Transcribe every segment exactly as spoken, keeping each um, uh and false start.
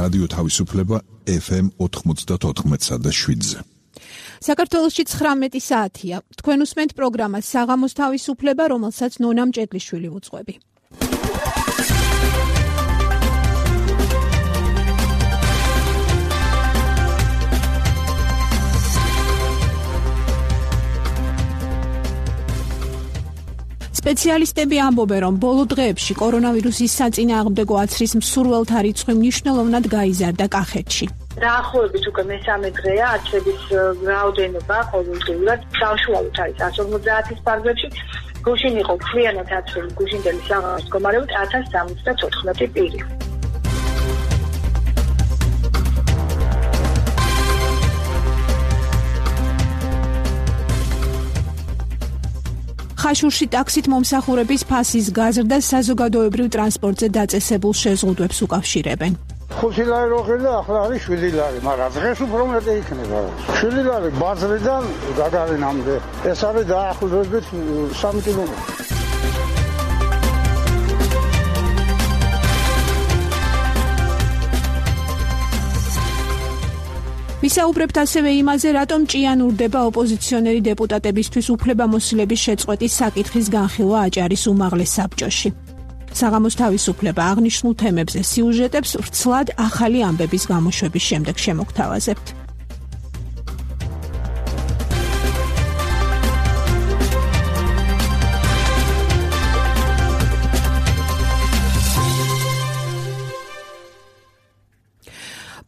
რადიო თავისუფლება ეფ ემ ოთხმოცდაოთხ და შვიდზე. საქართველოში ცხრამეტი საათია. თქვენ უსმენთ პროგრამას საღამოს თავისუფლება, რომელსაც ნონა მჭედლიშვილი უძღვები. სპეციალისტები ამბობენ, რომ ბოლო დღეებში კორონავირუსის საწინააღმდეგო აცრის მსურველთა რიცხვი მნიშვნელოვნად გაიზარდა კახეთში. დაახლოებით უკვე მესამე დღეა აცრების რაოდენობა ყოველდღიურად საშუალოდ არის ათას ორმოცდაათის ფარგლებში. გუშინ იყო მთლიანად აცრული გუშინდელი საღამოს მდგომარეობით ათას სამოცდათოთხმეტი პირი. ხაშურში ტაქსით მომსახურების ფასის გაზრდა საზოგადოებრივ ტრანსპორტზე დაწესებულ შეზღუდვებს უკავშირებენ. ხუთი ლარი რო ხილდა, ახლა არის შვიდი ლარი, მაგრამ დღეს უფრო მეტი იქნება. შვიდი ლარი ბაზრიდან გაგარინამდე. ეს არის დაახლოებით სამი კილომეტრი. ვისაუბრებთ ასევე იმაზე, რატომ ჭიანურდება ოპოზიციონერი დეპუტატებისთვის უფლებამოსილების შეწყვეტის საკითხის განხილვა აჭარის უმაღლეს საბჭოში. საღამოს თავისუფლება აღნიშნულ თემებზე სიუჟეტებს ვრცლად ახალი ამბების გამოშვების შემდეგ შემოგთავაზებთ.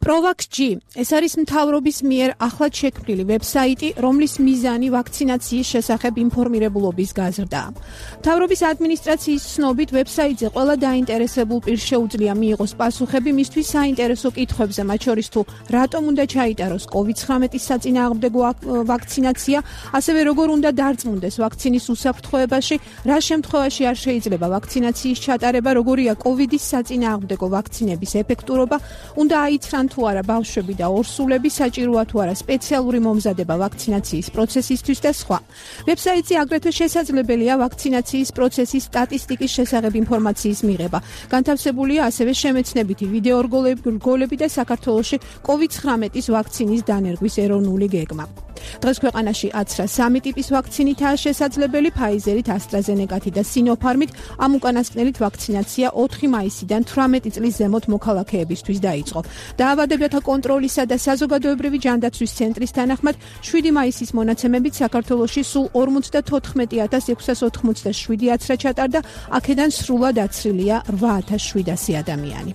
ProVax-G ეს არის მთავრობის მიერ ახლად შექმნილი ვებსაიტი, რომლის მიზანი ვაქცინაციის შესახებ ინფორმირებულობის გაზრდაა. მთავრობის ადმინისტრაციის ცნობით, ვებსაიტზე ყველა დაინტერესებულ პირს შეუძლია მიიღოს პასუხები მისთვის საინტერესო კითხვებზე, მათ შორის თუ რატომ უნდა ჩაიტაროს კოვიდ ცხრამეტის საწინააღმდეგო ვაქცინაცია, ასევე როგორ უნდა დარწმუნდეს ვაქცინის უსაფრთხოებაში, რა შემთხვევაში არ შეიძლება ვაქცინაციის ჩატარება, როგორია კოვიდის საწინააღმდეგო ვაქცინების ეფექტურობა, უნდა აიცრან თუ არა ბავშვები და ორსულები, საჭიროა თუ არა სპეციალური მომზადება ვაქცინაციის პროცესისთვის და სხვა. ვებსაიტზე აგრეთვე შესაძლებელია ვაქცინაციის პროცესის სტატისტიკის შესახებ ინფორმაციის მიღება. განთავსებულია ასევე შემეცნებითი ვიდეო რგოლები და საქართველოში კოვიდ ცხრამეტის ვაქცინის დანერგვის ეროვნული გეგმა. დღეს ქვეყანაში აცრა სამი ტიპის ვაქცინითაა შესაძლებელი, ფაიზერით, ასტრაზენეკათი და სინოფარმით. ამ უკანასკნელით ვაქცინაცია ოთხი მაისიდან თვრამეტი წლის ზემოთ მოქალაქეებისთვის დაიწყო. დაავადებათა კონტროლისა და საზოგადოებრივი ჯანდაცვის ცენტრის თანახმად, შვიდი მაისის მონაცემებით საქართველოში სულ ორმოცდათოთხმეტი ათას ექვსას ოთხმოცდაშვიდი აცრა ჩატარდა, აქედან სრულად აცრილია რვა ათას შვიდასი ადამიანი.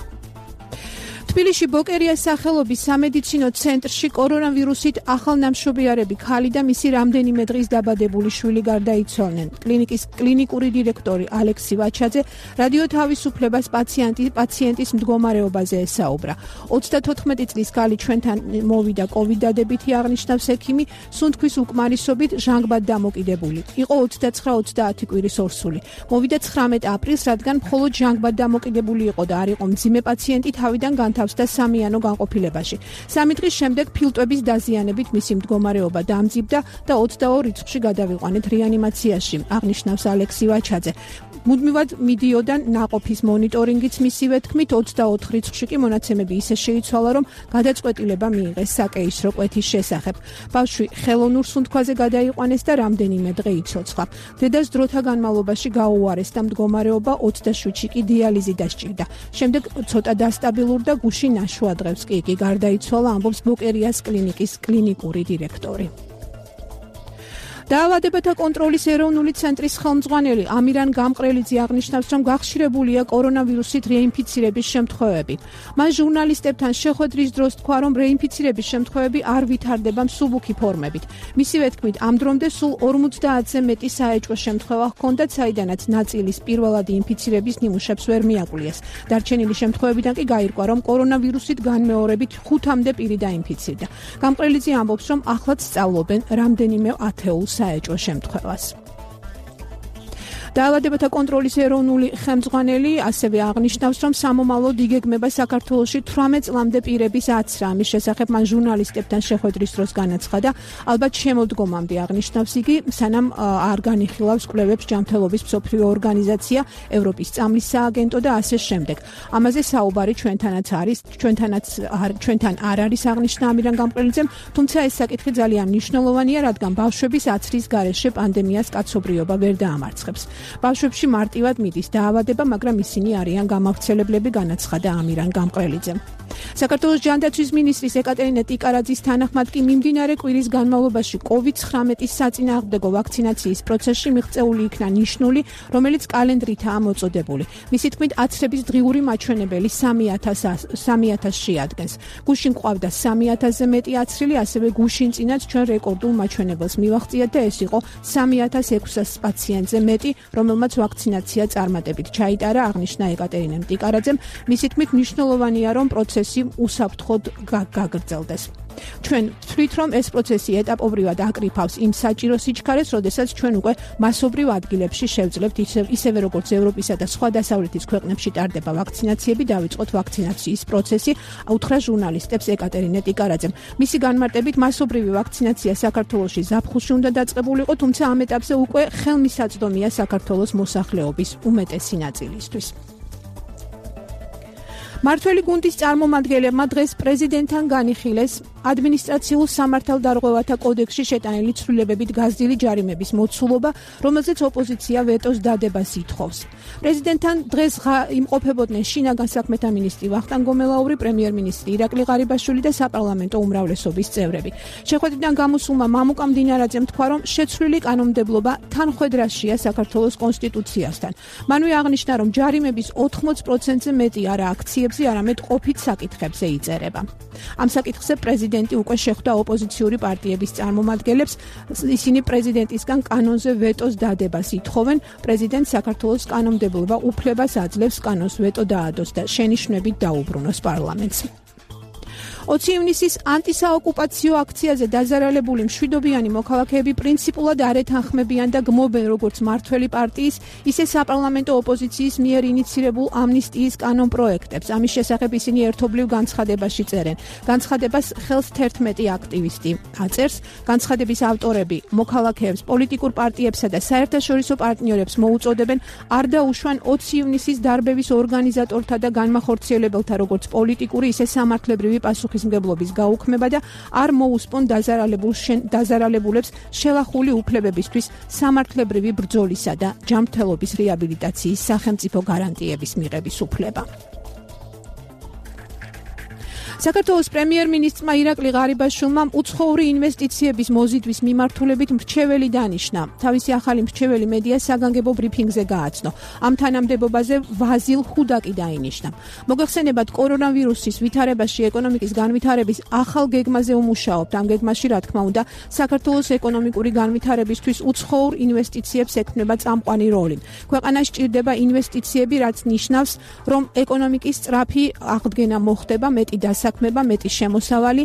თბილისში ბოკერიას სახელობის სამედიცინო ცენტრში კორონავირუსით ახალნამშობიარები ქალი და მისი რამდენიმე დღის დაბადებული შვილი გარდაიცვალნენ. კლინიკის კლინიკური დირექტორი ალექსი ვაჩაძე რადიო თავისუფლებას პაციენტი პაციენტის მდგომარეობაზე ესაუბრა. ოცდათოთხმეტი წლის ქალი ჩვენთან მოვიდა კოვიდ დადებითი აღნიშნავს ექიმი, სუნთქვის უკმარისობით ჟანგბად დამოკიდებული. იყო ოცდაცხრა ოცდაათი კვირის ორსული. მოვიდა ცხრამეტ აპრილს, რადგან მხოლოდ ჟანგბად დამოკიდებული იყო და არ იყო მძიმე პაციენტი, თავიდან განთავსდა და სამიანო განყოფილებაში. სამი დღის შემდეგ ფილტვების დაზიანებით მისი მდგომარეობა დამძიმდა და ოცდაორ რიცხვში გადავიყვანეთ რეანიმაციაში, აღნიშნავს ალექსი ვაჩაძე. მუდმივად მიდიოდა ნაყოფის მონიტორინგიც მისივე თქმით, ოცდაოთხ რიცხვში კი მონაცემები ისე შეიცვალა, რომ გადაწყვეტილება მიიღეს საკეისრო კვეთის შესახებ. ბავშვი ხელოვნურ სუნთქვაზე გადაიყვანეს და რამდენიმე დღე იცოცხლა. დედას დროთა განმავლობაში გაუარეს და მდგომარეობა ოცდაშვიდში კი დიალიზი დასჭირდა. შემდეგ ცოტა დასტაბილურდა, გუშინ ნაშვადღებს კი იგი გარდაიცვალა, ამბობს ბოკერიას კლინიკის კლინიკური დირექტორი. დაავადებათა კონტროლის ეროვნული ცენტრის ხელმძღვანელი ამირან გამყრელიძე აღნიშნავს, რომ გახშირებულია კორონავირუსით რეინფიცირების შემთხვევები. მან ჟურნალისტებთან შეხვედრის დროს თქვა, რომ რეინფიცირების შემთხვევები არ ვითარდება მსუბუქი ფორმებით. მისივე თქმით, ამ დრომდე სულ ორმოცდაათზე მეტი საეჭვო შემთხვევა ჰქონდათ, საიდანაც ნაწილის პირველადი ინფიცირების ნიმუშებს ვერ მიაკლიეს. დარჩენილი შემთხვევებიდან კი გაირკვა, რომ კორონავირუსით განმეორებით ხუთამდე პირი დაინფიცირდა. გამყრელიძე ამბობს, რომ ახლაც სწავლობენ რამდენიმე ათეულ საეჭვო შემთხვევას. დაავადებათა კონტროლის ეროვნული ხელმძღვანელი ასევე აღნიშნავს, რომ სამომავლოდ იგეგმება საქართველოში თვრამეტ წლამდე პირების აცრა. ამის შესახებ მან ჟურნალისტებთან შეხვედრის დროს განაცხადა. ალბათ შემოდგომამდე აღნიშნავს იგი, სანამ არ განიხილავს კვლევებს ჯანმრთელობის მსოფლიო ორგანიზაცია, ევროპის წამლის სააგენტო და ასე შემდეგ. ამაზე საუბარი ჩვენთანაც არის, ჩვენთანაც ჩვენთან არ არის აღნიშნა ამირან გამყრელიძემ, თუმცა ეს საკითხი ძალიან მნიშვნელოვანია, რადგან ბავშვების აცრის გარეშე პანდემიას კაცობრიობა ვერ დაამარცხებს. ბავშვებში მარტივად მიდის დაავადება, მაგრამ ისინი არიან გამავრცელებლები, განაცხადა ამირან გამყრელიძემ. საქართველოს ჯანდაცვის მინისტრის ეკატერინე ტიკარაძის თანახმად კი მიმდინარე კვირის განმავლობაში კოვიდ ცხრამეტის საწინააღმდეგო ვაქცინაციის პროცესში მიღწეული იქნა ნიშნული, რომელიც კალენდრითაა მოწოდებული. მისი თქმით, აცრების დღიური მაჩვენებელი სამი ათასს შეადგენს. გუშინ ყავდა სამი ათასზე მეტი აცრილი, ასევე გუშინ წინაც ჩვენ რეკორდულ მაჩვენებელს მივაღწიეთ და ეს იყო სამი ათას ექვსას პაციენტზე მეტი, რომელმაც ვაქცინაცია წარმატებით ჩაიტარა, აღნიშნა ეკატერინემ ტიკარაძემ. მისი თქმით, მნიშვნელოვანია, რომ პროცესი უსაფრთხოდ გაგრძელდეს. ჩვენ ვთვლით, რომ ეს პროცესი ეტაპობრივად აკრიფავს იმ საჭირო სიჩქარეს, როდესაც ჩვენ უკვე მასობრივ ადგილებში შევძლებთ, ისევე როგორც ევროპისა და სხვა დასავლეთის ქვეყნებში ტარდება ვაქცინაციები, დავიწყოთ ვაქცინაციის პროცესი, უთხრა ჟურნალისტებს ეკატერინე ტიკარაძემ. მისი განმარტებით, მასობრივი ვაქცინაცია საქართველოში ზაფხულში უნდა დაწყებულიყო, თუმცა ამ ეტაპზე უკვე ხელმისაწვდომია საქართველოს მოსახლეობის უმეტესი ნაწილისთვის. მართველი გუნდის წარმომადგენლებმა დღეს პრეზიდენტთან განიხილეს ადმინისტრაციულ სამართალდარღვევათა კოდექსში შეტანილი ცვლილებებით გაზრდილი ჯარიმების მოცულობა, რომელზეც ოპოზიცია ვეტოს დადებას ითხოვს. პრეზიდენტთან დღეს იმყოფებოდნენ შინაგან საქმეთა მინისტრი ვახტანგ გომელაური, პრემიერ-მინისტრი ირაკლი ღარიბაშვილი და საპარლამენტო უმრავლესობის წევრები. შეხვედრიდან გამოსულმა მამუკა მდინარაძემ თქვა, რომ შეცვლილი კანონმდებლობა თანხვედრაშია საქართველოს კონსტიტუციასთან. მანვე აღნიშნა, რომ ჯარიმების ოთხმოც პროცენტზე მეტი არა აქციებზე, არამედ ყოფით საკითხებზე იწერება. ამ საკითხზე პრეზიდენტი უკვე შეხვდა ოპოზიციური პარტიების წარმომადგენლებს, ისინი პრეზიდენტისგან კანონზე ვეტოს დადებას ითხოვენ. პრეზიდენტს საქართველოს კანონმდებლობა უფლებას აძლევს კანონს ვეტო დაადოს და შენიშვნებით დაუბრუნოს პარლამენტს. ოცი ივნისის ანტისაოკუპაციო აქციაზე დაზარალებული მშვიდობიანი მოქალაქეები პრინციპულად არ ეთანხმებიან და გმობენ როგორც მართველი პარტიის, ისე საპარლამენტო ოპოზიციის მიერ ინიცირებულ ამნისტიის კანონპროექტებს. ამის შესახებ ისინი ერთობლივ განცხადებაში წერენ. განცხადებას ხელს თერთმეტი აქტივისტი აწერს. განცხადების ავტორები მოქალაქეებს, პოლიტიკურ პარტიებსა და საერთაშორისო პარტნიორებს მოუწოდებენ არ დაუშვან ოცი ივნისის დარბევის ორგანიზატორთა და განმახორციელებელთა როგორც პოლიტიკური, ისე სამართლებრივი პასუხის მგებლობის გაუქმება და არ მოუსპონ დაზარალებულებს შელახული უფლებებისთვის სამართლებრივი ბრძოლისა და ჯანმრთელობის რეაბილიტაციის სახელმწიფო გარანტიების მიღების უფლება. საქართველოს პრემიერ-მინისტრმა ირაკლი ღარიბაშვილმა უცხოური ინვესტიციების მოზიდვის მიმართულებით მრჩეველი დანიშნა. თავისი ახალი მრჩეველი მედიას საგანგებო ბრიფინგზე გააცნო. ამ თანამდებობაზე ვაზილ ხუდაკი დაინიშნა. მოგეხსენებათ, კორონავირუსის ვითარებაში ეკონომიკის განვითარების ახალ გეგმაზე უმუშაობთ. ამ გეგმაში, რა თქმა უნდა, საქართველოს ეკონომიკური განვითარებისთვის უცხოურ ინვესტიციებს ექმნება წამყვანი როლი. ქვეყანას ჭირდება ინვესტიციები, რაც ნიშნავს, რომ ეკონომიკის სწრაფი აღდგენა მოხდება, მეტი დასაქმება, მეტი შემოსავალი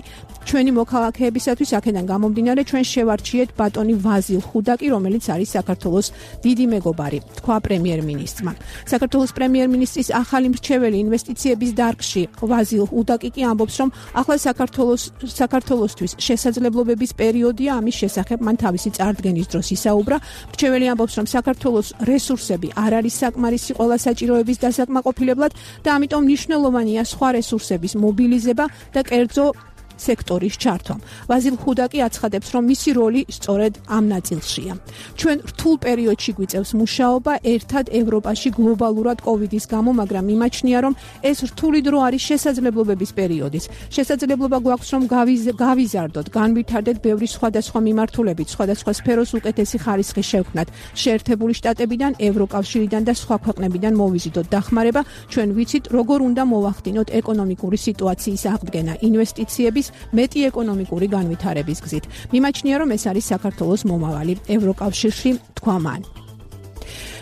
ჩვენი მოქალაქეებისათვის. აქედან გამომდინარე, ჩვენ შევარჩიეთ ბატონი ვაზილ ხუდაკი, რომელიც არის საქართველოს დიდი მეგობარი, თქვა პრემიერ-მინისტრმა. საქართველოს პრემიერ-მინისტრის ახალი მრჩეველი ინვესტიციების დარგში ვაზილ ხუდაკი კი ამბობს, რომ ახლა საქართველოს საქართველოსთვის შესაძლებლობების პერიოდია, ამის შესახებ მან თავისი წარდგენის დროს ისაუბრა. მრჩეველი ამბობს, რომ საქართველოს რესურსები არ არის საკმარისი ყველა საჭიროების დასაკმაყოფილებლად და ამიტომ მნიშვნელოვანია სხვა რესურსების მობილიზება და კერძო სექტორის ჩართვა. ვაზილ ხუდაკი აცხადებს, რომ მისი როლი სწორედ ამ ნაწილშია. ჩვენ რთულ პერიოდში გვიწევს მუშაობა ერთად ევროპაში გლობალურად კოვიდის გამო, მაგრამ იმაჩნია, რომ ეს რთული დრო არის შესაძლებლობების პერიოდის. შესაძლებლობა გვაქვს, რომ გავიზარდოთ, განვითარდეთ ბევრი სხვადასხვა მიმართულებით, სხვადასხვა სფეროს უკეთესი ხარისხი შევქმნათ. შეერთებული შტატებიდან, ევროკავშირიდან და სხვა ქვეყნებიდან მოვიზიდოთ დახმარება. ჩვენ ვიცით, როგორ უნდა მოვახდინოთ ეკონომიკური სიტუაციის აღდგენა, ინვესტიციების მეტი ეკონომიკური განვითარების გზით. მიმაჩნია, რომ ეს არის საქართველოს მომავალი ევროკავშირში, თქვა მან.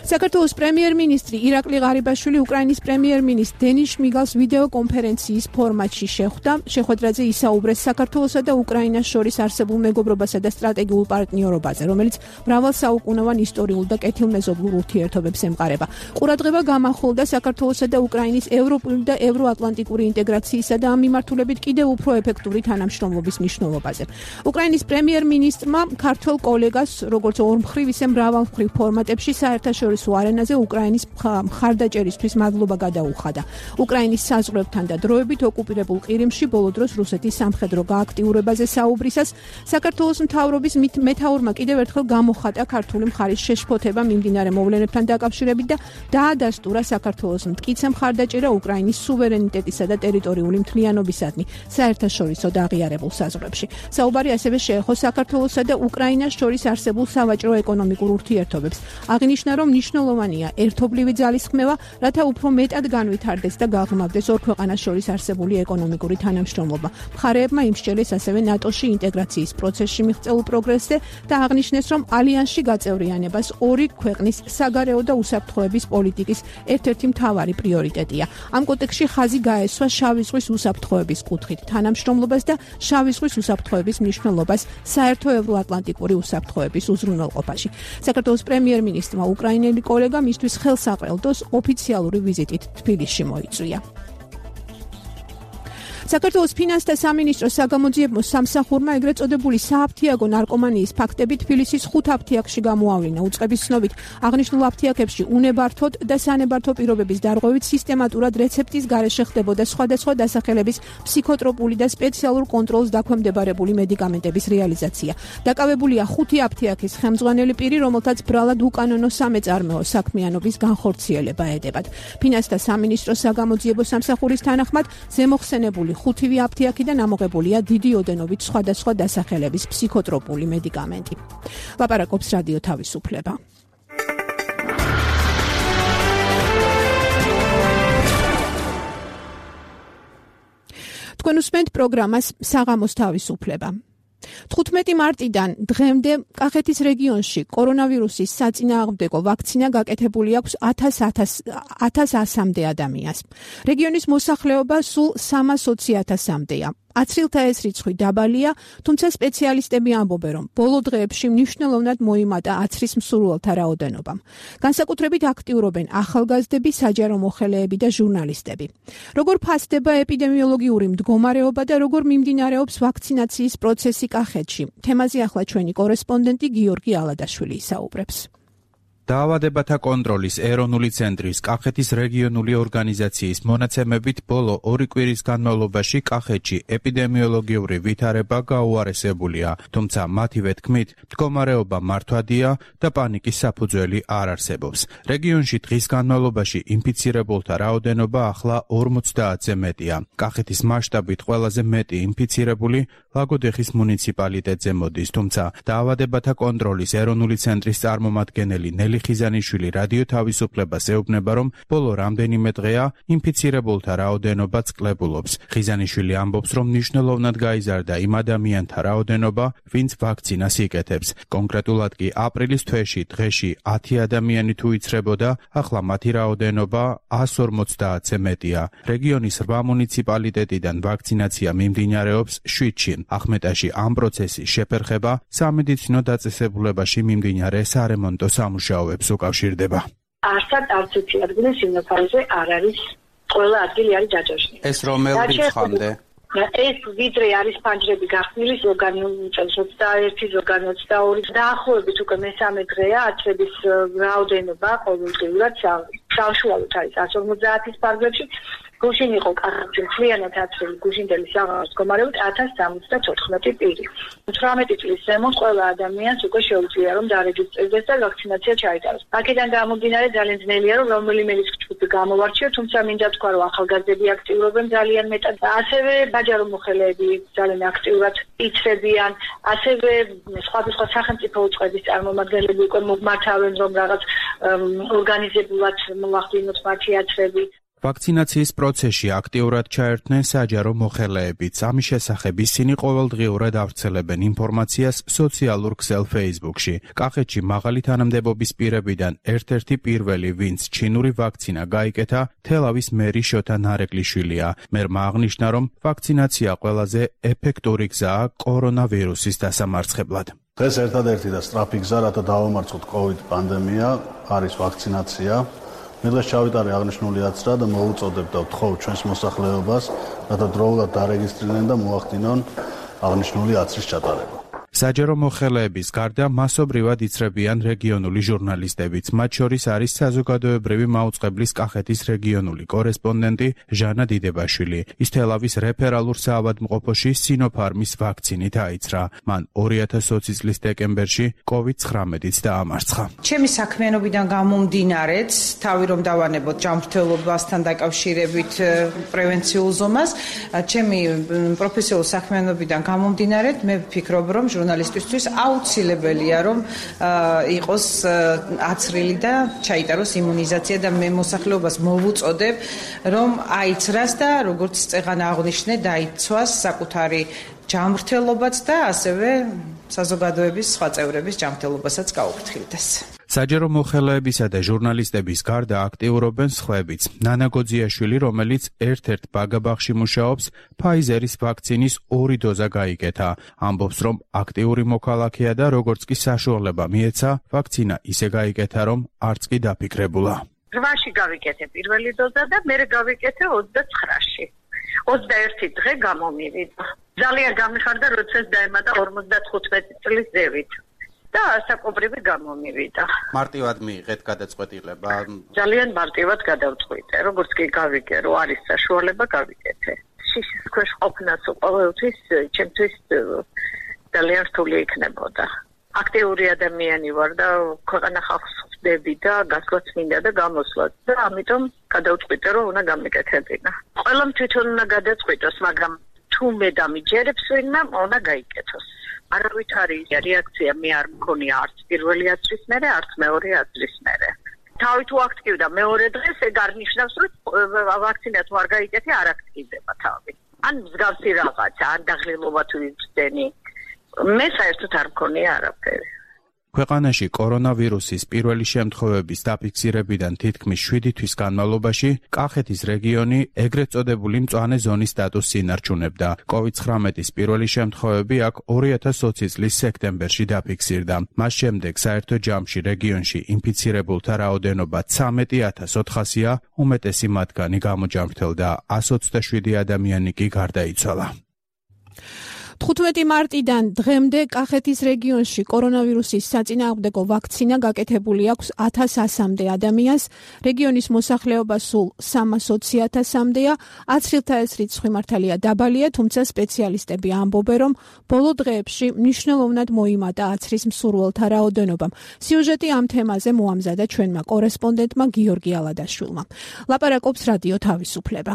საქართველოს პრემიერ-მინისტრი ირაკლი ღარიბაშვილი უკრაინის პრემიერ-მინისტრ დენის შმიგალს ვიდეო კონფერენციის ფორმატში შეხვდა. შეხვედრაზე ისაუბრეს საქართველოსა და უკრაინას შორის არსებულ მეგობრობასა და სტრატეგიულ პარტნიორობაზე, რომელიც მრავალსაუკუნოვან ისტორიულ და კეთილმეზობლურ ურთიერთობებს ემყარება. ყურადღება გამახვილდა საქართველოსა და უკრაინის ევროპული და ევროატლანტიკური ინტეგრაციისა და ამ მიმართულებით კიდევ უფრო ეფექტური თანამშრომლობის მნიშვნელობაზე. უკრაინის პრემიერ-მინისტრმა ქართველ კოლეგას, როგორც ორმხრივ, ისე მრავალმხრივ ფორმატებში საერთაშორისო არენაზე უკრაინის მხარდაჭერისთვის მადლობა გადაუხადა. უკრაინის საზღვრებთან და დროებით ოკუპირებულ ყირიმში ბოლო დროს რუსეთის სამხედრო გააქტიურებაზე საუბრისას საქართველოს მთავრობის მეთაურმა კიდევ ერთხელ გამოხატა ქართული მხარის შეშფოთება მიმდინარე მოვლენებთან დაკავშირებით და დაადასტურა საქართველოს მტკიცე მხარდაჭერა უკრაინის სუვერენიტეტისა და ტერიტორიული მთლიანობისადმი საერთაშორისო და აღიარებულ საზღვრებში. საუბარი ასევე შეეხო საქართველოსა და უკრაინას შორის არსებულ სავაჭრო-ეკონომიკურ ურთიერთობებს. აღნიშნა, რომ მნიშვნელოვანია ერთობლივი ძალისხმევა, რათა უფრო მეტად განვითარდეს და გაღრმავდეს ორ ქვეყანას შორის არსებული ეკონომიკური თანამშრომლობა. მხარეებმა იმსჯელეს ასევე ნატოში ინტეგრაციის პროცესში მიღწეულ პროგრესზე და აღნიშნეს, რომ ალიანსში გაწევრიანებას ორი ქვეყნის საგარეო და უსაფრთხოების პოლიტიკის ერთ-ერთი მთავარი პრიორიტეტია. ამ კონტექსტში ხაზი გაესვა შავი ზღვის უსაფრთხოების კუთხით თანამშრომლობას და შავი ზღვის უსაფრთხოების მნიშვნელობას საერთო ევროატლანტიკური უსაფრთხოების უზრუნველყოფაში. საქართველოს პრემიერ-მინისტრმა უკრაინელი კოლეგა მისთვის ხელსაყრელდოს ოფიციალური ვიზიტით თბილისში მოიწვია. საქართველოს ფინანსთა სამინისტროს საგამოძიებო სამსახურმა ეგრეთ წოდებული სააფთიაგო ნარკომანიის ფაქტები თბილისის ხუთ აფთიაქში გამოავლინა. უწყების ცნობით, აღნიშნულ აფთიაქებში უნებართოდ და სანებართო პირობების დარღვევით სისტემატურად რეცეპტის გარეშე ხდებოდა სხვადასხვა დასახელების ფსიქოტროპული და სპეციალურ კონტროლს დაქვემდებარებული მედიკამენტების რეალიზაცია. დაკავებულია ხუთი აფთიაქის ხელმძღვანელი პირი, რომელთაც ბრალად უკანონო სამეწარმეო საქმიანობის განხორციელება ედებათ. ფინანსთა სამინისტროს საგამოძიებო სამსახურის თანახმად ზემოხსენებული ხუთივე აფთიაქიდან ამოღებულია დიდი ოდენობით სხვადასხვა დასახელების ფსიქოტროპული მედიკამენტი. ლაპარაკობს რადიო თავისუფლება. თქვენ უსმენთ პროგრამას საღამოს თავისუფლება. თხუთმეტი მარტიდან დღემდე კახეთის რეგიონში კორონავირუსის საწინააღმდეგო ვაქცინა გაკეთებული აქვს ათას ასამდე ადამიანს. რეგიონის მოსახლეობა სულ სამას ოცი ათასამდეა. აცრილთა ეს რიცხვი დაბალია, თუმცა სპეციალისტები ამბობენ, რომ ბოლო დღეებში მნიშვნელოვნად მოიმატა აცრის მსურველთა რაოდენობამ. განსაკუთრებით აქტიურობენ ახალგაზრდები, საჯარო მოხელეები და ჟურნალისტები. როგორ ფასდება ეპიდემიოლოგიური მდგომარეობა და როგორ მიმდინარეობს ვაქცინაციის პროცესი კახეთში? თემაზე ახლა ჩვენი კორესპონდენტი გიორგი ალადაშვილი ისაუბრებს. დაავადებათა კონტროლის ეროვნული ცენტრის კახეთის რეგიონული ორგანიზაციის მონაცემებით ბოლო ორი კვირის განმავლობაში კახეთში ეპიდემიოლოგიური ვითარება გაუარესებულია, თუმცა მათივე თქმით, მდგომარეობა მართვადია და პანიკის საფუძველი არ არსებობს. რეგიონში დღის განმავლობაში ინფიცირებულთა რაოდენობა ახლა ორმოცდაათზე მეტია. კახეთის მასშტაბით ყველაზე მეტი ინფიცირებული ლაგოდეხის მუნიციპალიტეტზე მოდის, თუმცა დაავადებათა კონტროლის ეროვნული ცენტრის წარმომადგენელი ხიზანიშვილი რადიო თავისუფლებას ეუბნება, რომ ბოლო რამდენიმე დღეა ინფიცირებულთა რაოდენობა წყლებულობს. ხიზანიშვილი ამბობს, რომ მნიშვნელოვნად გაიზარდა იმ ადამიანთა რაოდენობა, ვინც ვაქცინას იკეთებს. კონკრეტულად კი აპრილის თვეში დღეში ათი ადამიანი თუ იცრებოდა, ახლა მათი რაოდენობა ას ორმოცდაათზე მეტია. რეგიონის რვა მუნიციპალიტეტიდან ვაქცინაცია მიმდინარეობს შვიდში. ახმეტაში ამ პროცესის შეფერხება სამედიცინო დაწესებულებაში მიმდინარე სარემონტო სამუშაო უკავშირდება. არსად არც ერთი ადგილი სიმნაფარეზე არ არის, ყველა ადგილი არის ჯაჭვში. ეს რომელ რიცხვამდე? ეს ვიდრე არის ფანჯრები გახსნილი, ზოგანი წელს ოცდაერთი, ზოგანი ოცდაორი, დაახლოებით უკვე მესამე დღეა აცრების რაოდენობა ყოველდღიურად საშუალოდ არის ას ორმოცდაათის ფარგლებში. გუშინ იყო კახეთში მთლიანად აცრილი გუშინდელი საღამოს მდგომარეობით ათას სამოცდათოთხმეტი პირი. თვრამეტი წლის ზემოთ ყველა ადამიანს უკვე შეუძლია რომ დარეჯისტრირდეს და ვაქცინაცია ჩაიტაროს. აქედან გამომდინარე ძალიან ძნელია რომ რომელიმე რისკ-ჯგუფი გამოვარჩიო, თუმცა მინდა თქვა რომ ახალგაზრდები აქტიურობენ ძალიან მეტად. ასევე საჯარო მოხელეები ძალიან აქტიურად იცრებიან, ასევე სხვადასხვა სახელმწიფო უწყების წარმომადგენლები უკვე მომართავენ რომ რაღაც ორგანიზებულად მოახდინოთ მათი აცრები. ვაქცინაციის პროცესში აქტიურად ჩაერთნენ საჯარო მოხელეებიც. ამის შესახებ ისინი ყოველდღიურად ავრცელებენ ინფორმაციას სოციალურ ქსელ Facebook-ში. კახეთში მაღალი თანამდებობის პირებიდან ერთ-ერთი პირველი, ვინც ჩინური ვაქცინა გაიკეთა, თელავის მერი შოთა ნარეკლიშვილია. მერმა აღნიშნა, რომ ვაქცინაცია ყველაზე ეფექტური გზაა კორონავირუსის დასამარცხებლად. დღეს ერთადერთი და სწრაფი გზა, რათა დავამარცხოთ COVID პანდემია, არის ვაქცინაცია. მე დღეს ჩავიტარე აღნიშნული აცრა და მოუწოდებ და ვთხოვ ჩვენს მოსახლეობას, რათა დროულად დარეგისტრირდნენ და მოახდინონ აღნიშნული აცრის ჩატარება. საჯარო მოხელეების გარდა მასობრივად იცრებიან რეგიონული ჟურნალისტებიც. მათ შორის არის საზოგადოებრივი მაუწყებლის კახეთის რეგიონული კორესპონდენტი ჟანა დიდებაშვილი. ის თელავის რეფერალურ საავადმყოფოში სინოფარმის ვაქცინით აიცრა. მან ორი ათას ოცი წლის დეკემბერში COVID ცხრამეტიც დაამარცხა. ჩემი საქმიანობიდან გამომდინარეც, თავი რომ დავანებოთ ჯანმრთელობასთან დაკავშირებით პრევენციულ ზომას, ჩემი პროფესიულ საქმიანობიდან გამომდინარეთ, მე ვფიქრობ, რომ ჟურნალისტისთვის აუცილებელია რომ იყოს აცრილი და ჩაიტაროს იმუნიზაცია და მე მოსახლეობას მოვუწოდებ რომ აიცრას და როგორც წეღან აღნიშნე დაიცვას საკუთარი ჯანმრთელობაც და ასევე საზოგადოების სხვა წევრების ჯანმრთელობასაც გაუფრთხილდეს. საჯარო მოხელეებისა და ჟურნალისტების გარდა აქტიურობენ სხვაებიც. ნანა გოძიაშვილი, რომელიც ერთ-ერთ ბაგაბაღში მუშაობს, ფაიზერის ვაქცინის ორი დოზა გაიკეთა. ამბობს, რომ აქტიური მოქალაქეა და როგორც კი საშუალება მიეცა, ვაქცინა ისე გაიკეთა, რომ არც კი დაფიქრებულა. რვაში გავიკეთე პირველი დოზა და მე გავიკეთე ოცდაცხრაში. ოცდაერთი დღე გამომივიდა. ძალიან გამიხარდა, როდესაც დაემატა ორმოცდათხუთმეტი წლის ზევით. და საკობრივი გამომივიდა. მარტივად მიიღეთ გადაწყვეტილება? ძალიან მარტივად გადავწყვიტე. როგორც კი გავიგე, რომ არის საშუალება, გავიკეთე. შიშის ქვეშ ყოფნაც ყოველთვის ჩემთვის ძალიან რთული იქნებოდა. აქტიური ადამიანი ვარ და ქვეყანა ხალხს ხვდები და გასვლაც მინდა და გამოსვლაც და ამიტომ გადავწყვიტე, რომ უნდა გამიკეთებინა. ყველამ თვითონ უნდა გადაწყვიტოს, მაგრამ თუ მე დამიჯერებს ვინმე, უნდა გაიკეთოს. არავითარი რეაქცია მე არ მქონია არც პირველი აცრის მერე, არც მეორე აცრის მერე. თავი თუ აქტივდა მეორე დღეს, ეგ არ ნიშნავს, რომ ვაქცინა თუ არ გაიკეთე, არ აქტივდება თავი. ან მსგავსი რაღაცა, ან დაღლილობა თუ იწდენი. მე საერთოდ არ მქონია არაფერი. ქვეყანაში კორონავირუსის პირველი შემთხვევების დაფიქსირებიდან თითქმის შვიდი თვის განმავლობაში კახეთის რეგიონი ეგრეთ წოდებული მწვანე ზონის სტატუსს ინარჩუნებდა. COVID ცხრამეტის პირველი შემთხვევები აქ ორი ათას ოცი წლის სექტემბერში დაფიქსირდა. მას შემდეგ საერთო ჯამში რეგიონში ინფიცირებულთა რაოდენობა ცამეტი ათას ოთხასია, უმეტესი მათგანი გამოჯამრთელდა, ასი ოცდაშვიდი ადამიანი კი გარდაიცვალა. თხუთმეტი მარტიდან დღემდე კახეთის რეგიონში კორონავირუსის საწინააღმდეგო ვაქცინა გაკეთებული აქვს ათას ასამდე ადამიანს, რეგიონის მოსახლეობა სულ სამას ოცი ათასამდეა, აცრილთა ეს რიცხვი მართალია დაბალია, თუმცა სპეციალისტები ამბობენ, რომ ბოლო დღეებში მნიშვნელოვნად მოიმატა აცრის მსურველთა რაოდენობამ. სიუჟეტი ამ თემაზე მოამზადა ჩვენმა კორესპონდენტმა გიორგი ალადაშვილმა. ლაპარაკობს რადიო თავისუფლება.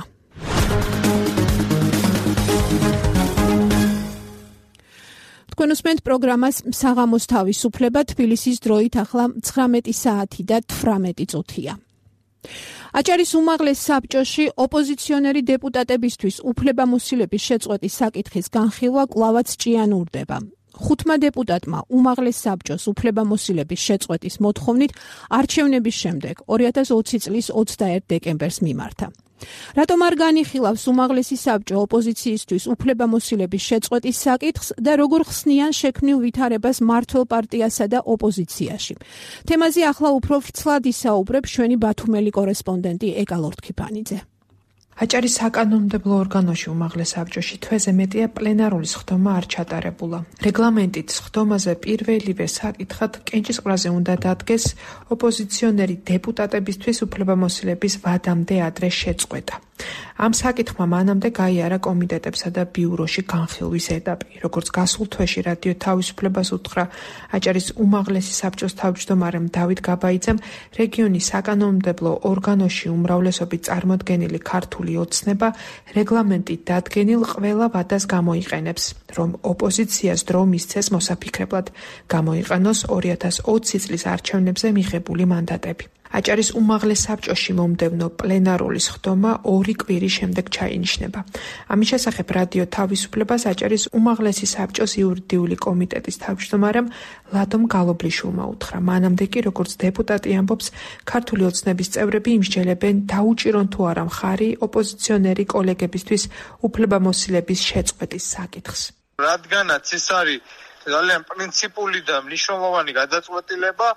თქვენ უსმენთ პროგრამას საღამოს თავისუფლება, თბილისის დროით ახლა ცხრამეტი საათი და თვრამეტი წუთია. აჭარის უმაღლეს საბჭოში ოპოზიციონერი დეპუტატებისთვის უფლებამოსილების შეწყვეტის საკითხის განხილვა კვლავაც ჭიანურდება. ხუთმა დეპუტატმა უმაღლეს საბჭოს უფლებამოსილების შეწყვეტის მოთხოვნით არჩევნების შემდეგ ორი ათას ოცი წლის ოცდაერთ დეკემბერს მიმართა. რატომ არ განიხილავს უმაღლესი საბჭო ოპოზიციისთვის უფლებამოსილების შეწყვეტის საკითხს და როგორ ხსნიან შექმნილ ვითარებას მმართველ პარტიასა და ოპოზიციაში? თემაზე ახლა უფრო ვრცლად ისაუბრებ ჩვენი ბათუმელი კორესპონდენტი ეკა ლორთქიფანიძე. აჭარის საკანონმდებლო ორგანოში უმაღლეს საბჭოში თვეზე მეტია პლენარული სხდომა არ ჩატარებულა. რეგლამენტით სხდომაზე პირველივე საკითხად კენჭისყრაზე უნდა დადგეს ოპოზიციონერი დეპუტატებისთვის უფლებამოსილების ვადამდე ადრე შეწყვეტა. ამ საკითხმა მანამდე გაიარა კომიტეტებსა და ბიუროში განხილვის ეტაპი. როგორც გასულ თვეში რადიო თავისუფლებას უთხრა აჭარის უმაღლესი საბჭოს თავმჯდომარემ დავით გაბაიძემ, რეგიონის საკანონმდებლო ორგანოში უმრავლესობით წარმოდგენილი ქართული ოცნება რეგლამენტით დადგენილ ყველა ვადას გამოიყენებს, რომ ოპოზიციას დრო მისცეს მოსაფიქრებლად გამოიყენოს ორი ათას ოცი წლის არჩევნებზე მიღებული მანდატები. აჭარის უმაღლეს საბჭოში მომდევნო პლენარული სხდომა ორი კვირის შემდეგ ჩაინიშნება. ამის შესახებ რადიო თავისუფლებას აჭარის უმაღლესი საბჭოს იურიდიული კომიტეტის თავმჯდომარემ ლადომ გალობლიშვილმა უთხრა. მანამდე კი, როგორც დეპუტატი ამბობს, ქართული ოცნების წევრები იმსჯელებენ დაუჭირონ თუ არა მხარი ოპოზიციონერი კოლეგებისთვის უფლებამოსილების შეწყვეტის საკითხს. რადგანაც ეს არის ძალიან პრინციპული და მნიშვნელოვანი გადაწყვეტილება,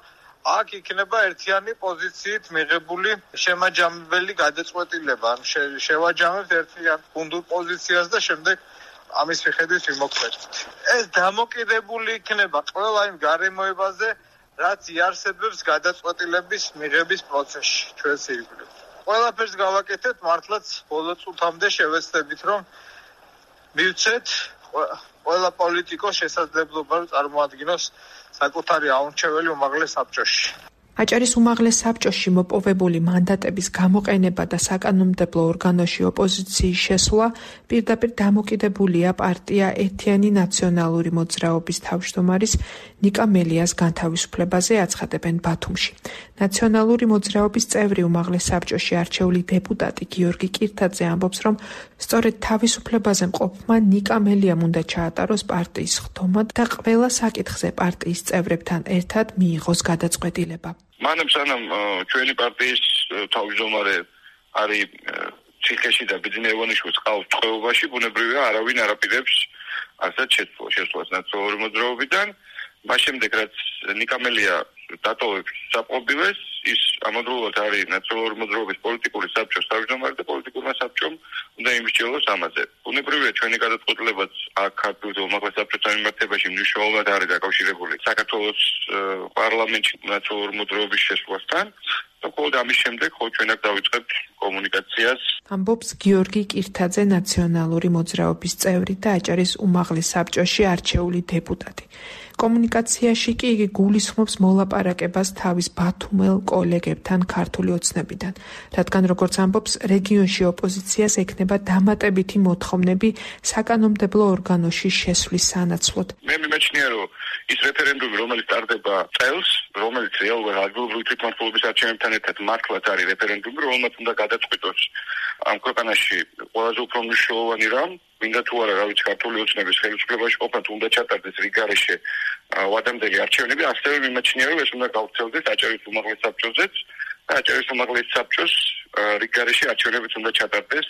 აქ იქნება ერთიანი პოზიციით მიღებული შემაჯამებელი გადაწყვეტილება. ან შევაჯამებთ ერთიან გუნდურ პოზიციას და შემდეგ ამის მიხედვით ვიმოქმედებთ. ეს დამოკიდებული იქნება ყველა იმ გარემოებაზე, რაც იარსებებს გადაწყვეტილების მიღების პროცესში ჩვენს ირგვლივ. ყველაფერს გავაკეთეთ, მართლაც ბოლო წუთამდე შევეცდებით, რომ მივცეთ ყველა პოლიტიკოს შესაძლებლობა წარმოადგინოს საკუთარი აურჩეველი უმაღლეს საბჭოში. აჭარის უმაღლეს საბჭოში მოპოვებული მანდატების გამოყენება და საკანონმდებლო ორგანოში ოპოზიციის შესვლა პირდაპირ დამოკიდებულია პარტია ერთიანი ნაციონალური მოძრაობის თავმჯდომარის ნიკა მელიას განთავისუფლებაზე, აცხადებენ ბათუმში. ნაციონალური მოძრაობის წევრი უმაღლეს საბჭოში არჩეული დეპუტატი გიორგი კირთაძე ამბობს, რომ სწორედ თავისუფლებაზე მყოფმა ნიკა მელიამ უნდა ჩაატაროს პარტიის სხდომა და ყველა საკითხზე პარტიის წევრებთან ერთად მიიღოს გადაწყვეტილება. მანამ სანამ ჩვენი პარტიის თავმჯდომარე არის ციხეში და ბიძინეევანიშვილს ყავს წყევობაში, ბუნებრივია არავინ არაპირებს ასეთ შეცვლას ნაციონალური მოძრაობიდან. მას შემდეგ რაც ნიკა მელია დატოვებს საყობილეს, ის ამავდროულად არის ნაციონალური მოძრაობის პოლიტიკური საბჭოს თავმჯდომარე და პოლიტიკურმა საბჭომ უნდა იმსჯელოს ამაზე. ბუნებრივია ჩვენი გადაწყვეტილებაც აქ ქართულ უმაღლეს საბჭოთა მიმართებაში მნიშვნელოვნად არის დაკავშირებული საქართველოს პარლამენტში ნაციონალური მოძრაობის შესვლასთან. და ხოლმე ამის შემდეგ ხო ჩვენ აქ დავიწყებთ კომუნიკაციას. ამბობს გიორგი კირთაძე, ნაციონალური მოძრაობის წევრი და აჭარის უმაღლეს საბჭოში არჩეული დეპუტატი. კომუნიკაციაში კი იგი გულისხმობს მოლაპარაკებას თავის ბათუმელ კოლეგებთან ქართული ოცნებიდან, რადგან როგორც ამბობს, რეგიონში ოპოზიციას ექნება დამატებითი მოთხოვნები საკანონმდებლო ორგანოში შესვლის სანაცვლოდ. მე მიმეჩნია, რომ ის რეფერენდუმი, რომელიც ტარდება წელს, რომელიც რეალურად ადგილობრივი თვითმმართველობის არჩევნებთან ერთად მართლაც არის რეფერენდუმი, რომელმაც უნდა გადაწყვიტოს ამ ქვეყანაში ყველაზე უფრო მნიშვნელოვანი რამ, მინდა თუ არა, რა ვიცი, ქართული ოცნების ხელისუფლებაში ყოფნა თუ უნდა ჩატარდეს რიგარეშე ვადამდელი არჩევნები, ასევე მიმაჩნია, რომ ეს უნდა გავრცელდეს აჭარის უმაღლეს საბჭოზეც და აჭარის უმაღლეს საბჭოს რიგარეშე არჩევნებიც უნდა ჩატარდეს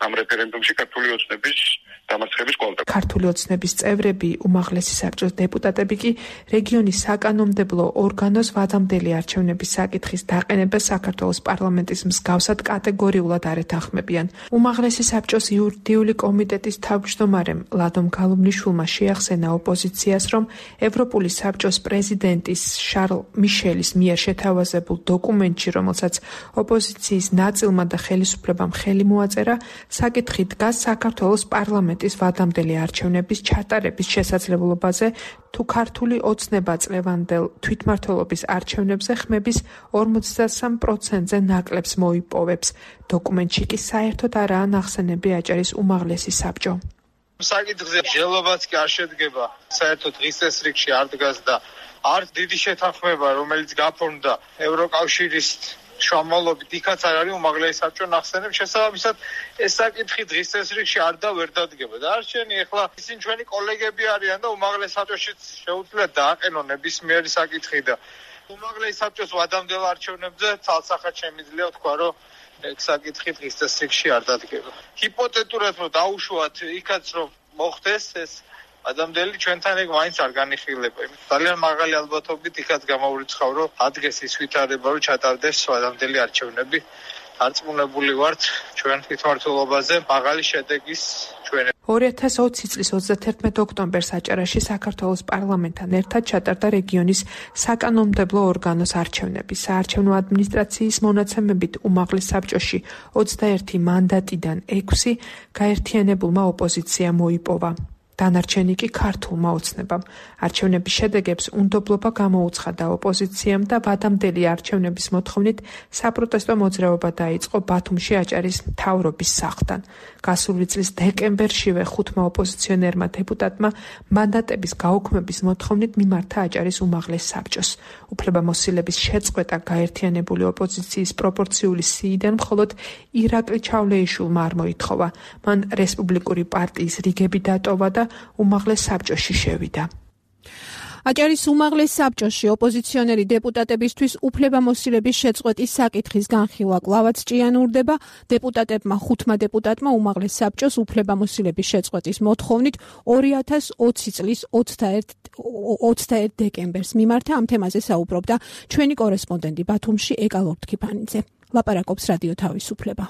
ამ რეფერენდუმში ქართული ოცნების დამარცხების კვალდაკ. ქართული ოცნების წევრები, უმაღლესი საბჭოს დეპუტატები კი რეგიონის საკანონმდებლო ორგანოს ვადამდელი არჩევნების საკითხის დაყენებას საქართველოს პარლამენტის მსგავსად კატეგორიულად არ ეთანხმებიან. უმაღლესი საბჭოს იურიდიული კომიტეტის თავმჯდომარემ ლადომ გალობლიშვილმა შეახსენა ოპოზიციას, რომ ევროპული საბჭოს პრეზიდენტის შარლ მიშელის მიერ შეთავაზებულ დოკუმენტში, რომელსაც ოპოზიციის ნაწილმა და ხელისუფლებამ ხელი მოაწერა, საკითხი დგას საქართველოს პარლამენტის ვადამდელი არჩევნების ჩატარების შესაძლებლობაზე, თუ ქართული ოცნება წლევანდელ თვითმმართველობის არჩევნებზე ხმების ორმოცდასამ პროცენტზე ნაკლებს მოიპოვებს. დოკუმენტში კი საერთოდ არაა ნახსენები აჭარის უმაღლესი საბჭო. საკითხზე მსჯელობაც კი არ შედგება, საერთოდ დღის წესრიგში არ დგას და არც დიდი შეთანხმება, რომელიც გაფორმდა ევროკავშირის შუამავლობით, იქაც არ არის უმაღლესი საბჭო ნახსენებს, შესაბამისად ეს საკითხი დღის წესრიგში არ და ვერ დადგება. და არჩენი ეხლა ისინი ჩვენი კოლეგები არიან და უმაღლეს საბჭოშიც შეუძლიათ დააყენონ ნებისმიერი საკითხი და უმაღლეს საბჭოს ვადამდელ არჩევნებზე თალსახად შემიძლია თქვა, რომ ეს საკითხი დღის წესრიგში არ დადგება. ჰიპოთეტურად რომ დაუშვათ იქაც რომ მოხდეს ეს ადამიანები ჩვენთან ეგ მაინც არ განიხილება. ძალიან მაღალი ალბათობით იქაც გამოურიცხავ, რომ ადგეს ის ვითარება, რომ ჩატარდეს ადამიანები არჩევნები. არწმუნებული ვართ ჩვენ თვითმმართველობაზე მაღალი შედეგის ჩვენ. ორი ათას ოცი წლის ოცდათერთმეტ ოქტომბერს აჭარაში საქართველოს პარლამენტთან ერთად ჩატარდა რეგიონის საკანონმდებლო ორგანოს არჩევნები. საარჩევნო ადმინისტრაციის მონაცემებით უმაღლეს საბჭოში ოცდაერთი მანდატიდან ექვსი გაერთიანებულმა ოპოზიციამ მოიპოვა. დანარჩენი კი ქართულმა ოცნებამ. არჩევნების შედეგებს უნდობლობა გამოუცხადა ოპოზიციამ და ვადამდელი არჩევნების მოთხოვნით საპროტესტო მოძრაობა დაიწყო ბათუმში აჭარის მთავრობის სახლთან. გასული წლის დეკემბერშივე ხუთმა ოპოზიციონერმა დეპუტატმა მანდატების გაუქმების მოთხოვნით მიმართა აჭარის უმაღლეს საბჭოს. უფლებამოსილების შეწყვეტა გაერთიანებული ოპოზიციის პროპორციული სიიდან მხოლოდ ირაკლი ჩავლეიშვილმა არ მოითხოვა. მან რესპუბლიკური პარტიის რიგები დატოვა და უმაღლეს საბჭოში შევიდა. აჭარის უმაღლეს საბჭოში ოპოზიციონერი დეპუტატებისთვის უფლებამოსილების შეწყვეტის საკითხის განხილვა კვლავაც ჭიანურდება. დეპუტატებმა ხუთმა დეპუტატმა უმაღლეს საბჭოს უფლებამოსილების შეწყვეტის მოთხოვნით ორი ათას ოცი წლის ოცდაერთ დეკემბერს მიმართა. ამ თემაზე საუბრობდა ჩვენი კორესპონდენტი ბათუმში ეკა ლორთქიფანიძე. ლაპარაკობს რადიო თავისუფლება.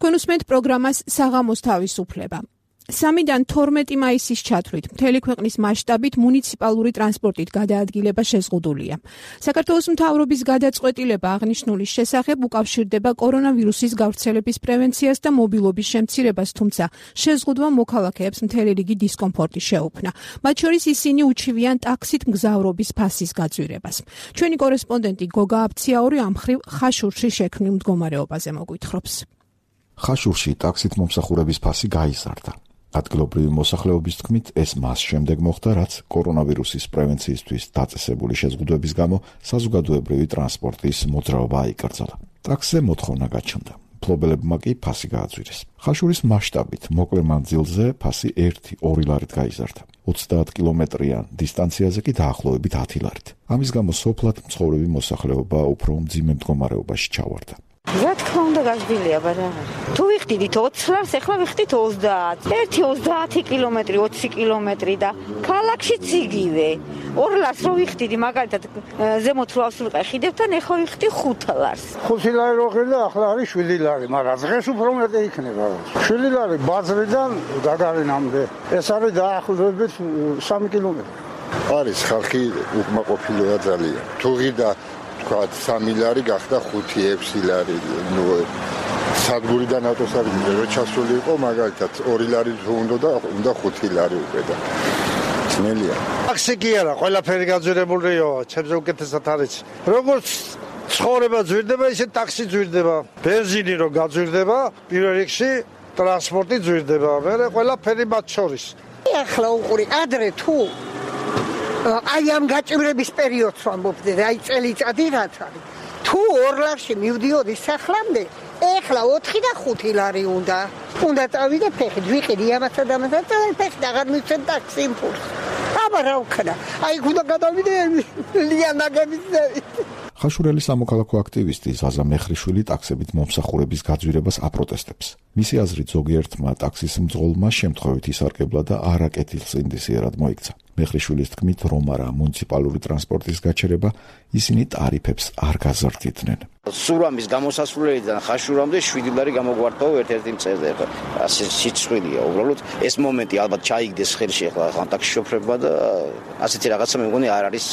თქვენ უსმენთ პროგრამას საღამოს თავისუფლება. სამიდან თორმეტი მაისის ჩათვლით მთელი ქვეყნის მასშტაბით მუნიციპალური ტრანსპორტით გადაადგილება შეზღუდულია. საქართველოს მთავრობის გადაწყვეტილება აღნიშნულის შესახებ უკავშირდება კორონავირუსის გავრცელების პრევენციას და მობილობის შემცირებას, თუმცა შეზღუდვა მოქალაქეებს მთელი რიგი დისკომფორტი შეუქმნა. მათ შორის ისინი უჩივიან ტაქსით მგზავრობის ფასის გაძვირებას. ჩვენი კორესპონდენტი გოგა აბციაური ამ მხრივ ხაშურში შექმნილ მდგომარეობაზე მოგვითხრობს. ხაშურში ტაქსით მომსახურების ფასი გაიზარდა. ადგილობრივი მოსახლეობის თქმით, ეს მას შემდეგ მოხდა, რაც კორონავირუსის პრევენციისთვის დაწესებული შეზღუდვების გამო საზოგადოებრივი ტრანსპორტის მოძრაობა აიკრძალა. ტაქსზე მოთხოვნა გაჩნდა. მფლობელებმა კი ფასი გააძვირეს. ხაშურის მასშტაბით მოკლე მანძილზე ფასი ერთი ორი ლარით გაიზარდა. ოცდაათ კილომეტრიან დისტანციაზე კი დაახლოებით ათი ლარით. ამის გამო სოფლად მცხოვრები მოსახლეობა უფრო მძიმე მდგომარეობაში ჩავარდა. რა თქმა უნდა გაზრდილია ბარა. თუ ვიხდით ოცი ლარს, ახლა ვიხდით ოცდაათ. ერთი ოცდაათი კილომეტრი, ოცი კილომეტრი და ქალაქშიც იგივე. ორ ლარს რო ვიხდით, მაგალითად ზემოთ რო ავსულყე ხიდებთან, ახლა ვიხდი ხუთ ლარს. ხუთი ლარი რო ხილდა, ახლა არის შვიდი ლარი, მაგრამ დღეს უფრო მეტი იქნება. შვიდი ლარი ბაზრიდან გაგარინამდე. ეს არის დაახლოებით სამი კილომეტრი. არის ხალხი უკმაყოფილოა ძალიან. თუ ღირდა თქვათ სამი ლარი გახდა ხუთი ექვსი ლარი. ნუ სადგურიდან ავტოსადგურზე რო ჩასული იყო, მაგალითად ორი ლარი თუ უნდა და უნდა ხუთი ლარი უკვე და ძნელია. ტაქსი კი არა, ყველაფერი გაძვირებულია, ჩემზე უკეთესად არის. როგორც ცხოვრება ძვირდება, ისე ტაქსი ძვირდება. ბენზინი რო გაძვირდება, პირველ რიგში ტრანსპორტი ძვირდება, მერე ყველაფერი მათ შორის. ახლა უყური ადრე თუ აი ამ გაჭირების პერიოდს ვამბობდე, აი წელიწადი რაც არის. თუ ორ ლარში მივდიოდი სახლამდე, ეხლა ოთხი და ხუთი ლარი უნდა. უნდა წავიდე ფეხით, ვიყიდი ამასა და ამასა და ფეხით აღარ მივცემ ტაქსი იმპულს. აბა რა ვქნა? აი უნდა გადავიდე ლიანაგების ზევით. ხაშურელი სამოქალაქო აქტივისტი ზაზა მეხრიშვილი ტაქსებით მომსახურების გაძვირებას აპროტესტებს. მისი აზრით ზოგიერთმა ტაქსის მძღოლმა შემთხვევით ისარგებლა და არაკეთილსინდისიერად მოიქცა. მეხრიშვილის თქმით, რომ არა მუნიციპალური ტრანსპორტის გაჩერება, ისინი ტარიფებს არ გაზრდიდნენ. სურამის გამოსასვლელიდან ხაშურამდე შვიდი ლარი გამოგვარდაო ერთ-ერთი მწერზე. ასე სიცხვილია უბრალოდ. ეს მომენტი ალბათ ჩაიგდეს ხელში ახლა ამ ტაქსი შოფრებმა და ასეთი რაღაცა მე მგონი არ არის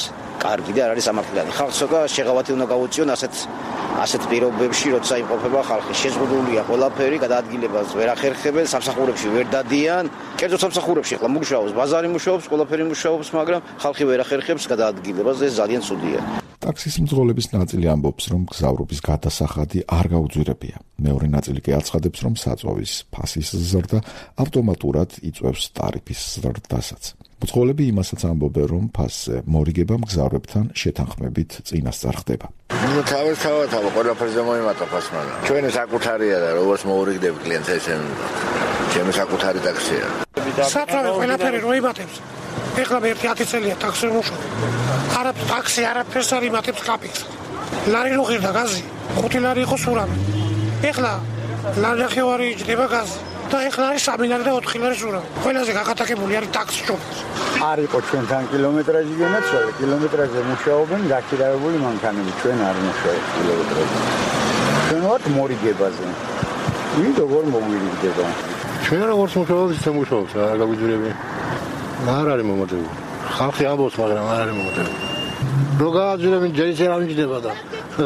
კარგი და არ არის სამართლიანი. ხალხს ცოტა შეღავათი უნდა გაუწიონ ასეთ ასეთ პირობებში, როცა იმყოფება ხალხი. შეზღუდულია ყველაფერი, გადაადგილებას ვერ ახერხებენ, სამსახურებში ვერ დადიან. კერძო სამსახურებში ახლა მუშაობს, ბაზარი მუშაობს, ყველაფერი მუშაობს, მაგრამ ხალხი ვერ ახერხებს გადაადგილებას და ეს ძალიან ცუდია. ტაქსის მძღოლების ნაწილი ამბობს, რომ გზავრობის გადასახადი არ გაუძვირებია. მეორე ნაწილი კი აცხადებს, რომ საწვავის ფასის ზრდა ავტომატურად იწვევს ტარიფის ზრდასაც. მძღოლები იმასაც ამბობენ, რომ ფასზე მორიგება მგზავრებთან შეთანხმებით წინასწარ ხდება. ნუ თავის თავად ყველაფერზე მოიმატა ფასმა. ჩვენი საკუთარია და როგორც მოურიგდები კლიენტს ესე ჩემი საკუთარი ტაქსია. საწვავი ყველაფერი რო იმატებს. ეხლა მე ერთი ათი წელია ტაქსი მუშაობ. არა ტაქსი არაფერს არ იმატებს კაპიკს. ლარი რო ღირდა გაზი, ხუთი ლარი იყო სურამი. ეხლა ლარი ახევარი იჯდება გაზი. და ეხლა არის სამი ლარი და ოთხი ლარი სურამი. ყველაზე გაკატაკებული არის ტაქსი შოფერს. არ იყო ჩვენთან კილომეტრაჟი განაცვალე, კილომეტრაჟზე მუშაობენ გაქირავებული მანქანები, ჩვენ არ მუშაობთ კილომეტრაჟზე. ჩვენ ვართ მორიგებაზე. ვინ როგორ მოგვირიგდება? ჩვენ როგორც მუშაობთ, ისე მუშაობთ, რა გაგვიძვირებია. არ არის მომოდები. ხალხი ამბობს, მაგრამ არ არის მომოდები. რო გააძვირებენ, ჯერ ისე არ მიჯდება და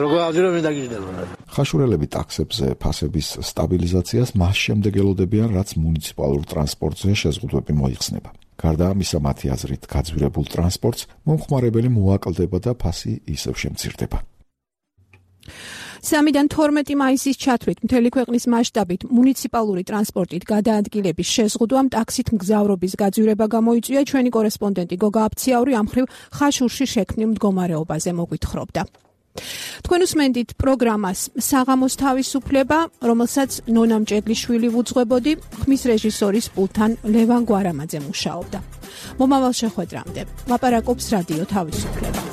რო გააძვირებენ დაგიჯდება. ხაშურელები ტაქსებზე ფასების სტაბილიზაციას მას შემდეგ ელოდებიან, რაც მუნიციპალურ ტრანსპორტზე შეზღუდვები მოიხსნება. გარდა ამისა, მათი აზრით, გაძვირებულ ტრანსპორტს მომხმარებელი მოაკლდება და ფასი ისევ შემცირდება. სამიდან თორმეტი მაისის ჩათვლით მთელი ქვეყნის მასშტაბით მუნიციპალური ტრანსპორტით გადაადგილების შეზღუდვამ ტაქსით მგზავრობის გაძვირება გამოიწვია. ჩვენი კორესპონდენტი გოგა აფციაური ამ მხრივ ხაშურში შექმნილ მდგომარეობაზე მოგვითხრობდა. თქვენ უსმენთ პროგრამას საღამოს თავისუფლება, რომელსაც ნონა მჭედლიშვილი ვუძღვებოდი, ხმის რეჟისორის პულთან ლევან გვარამაძე მუშაობდა. მომავალ შეხვედრამდე ლაპარაკობს რადიო თავისუფლება.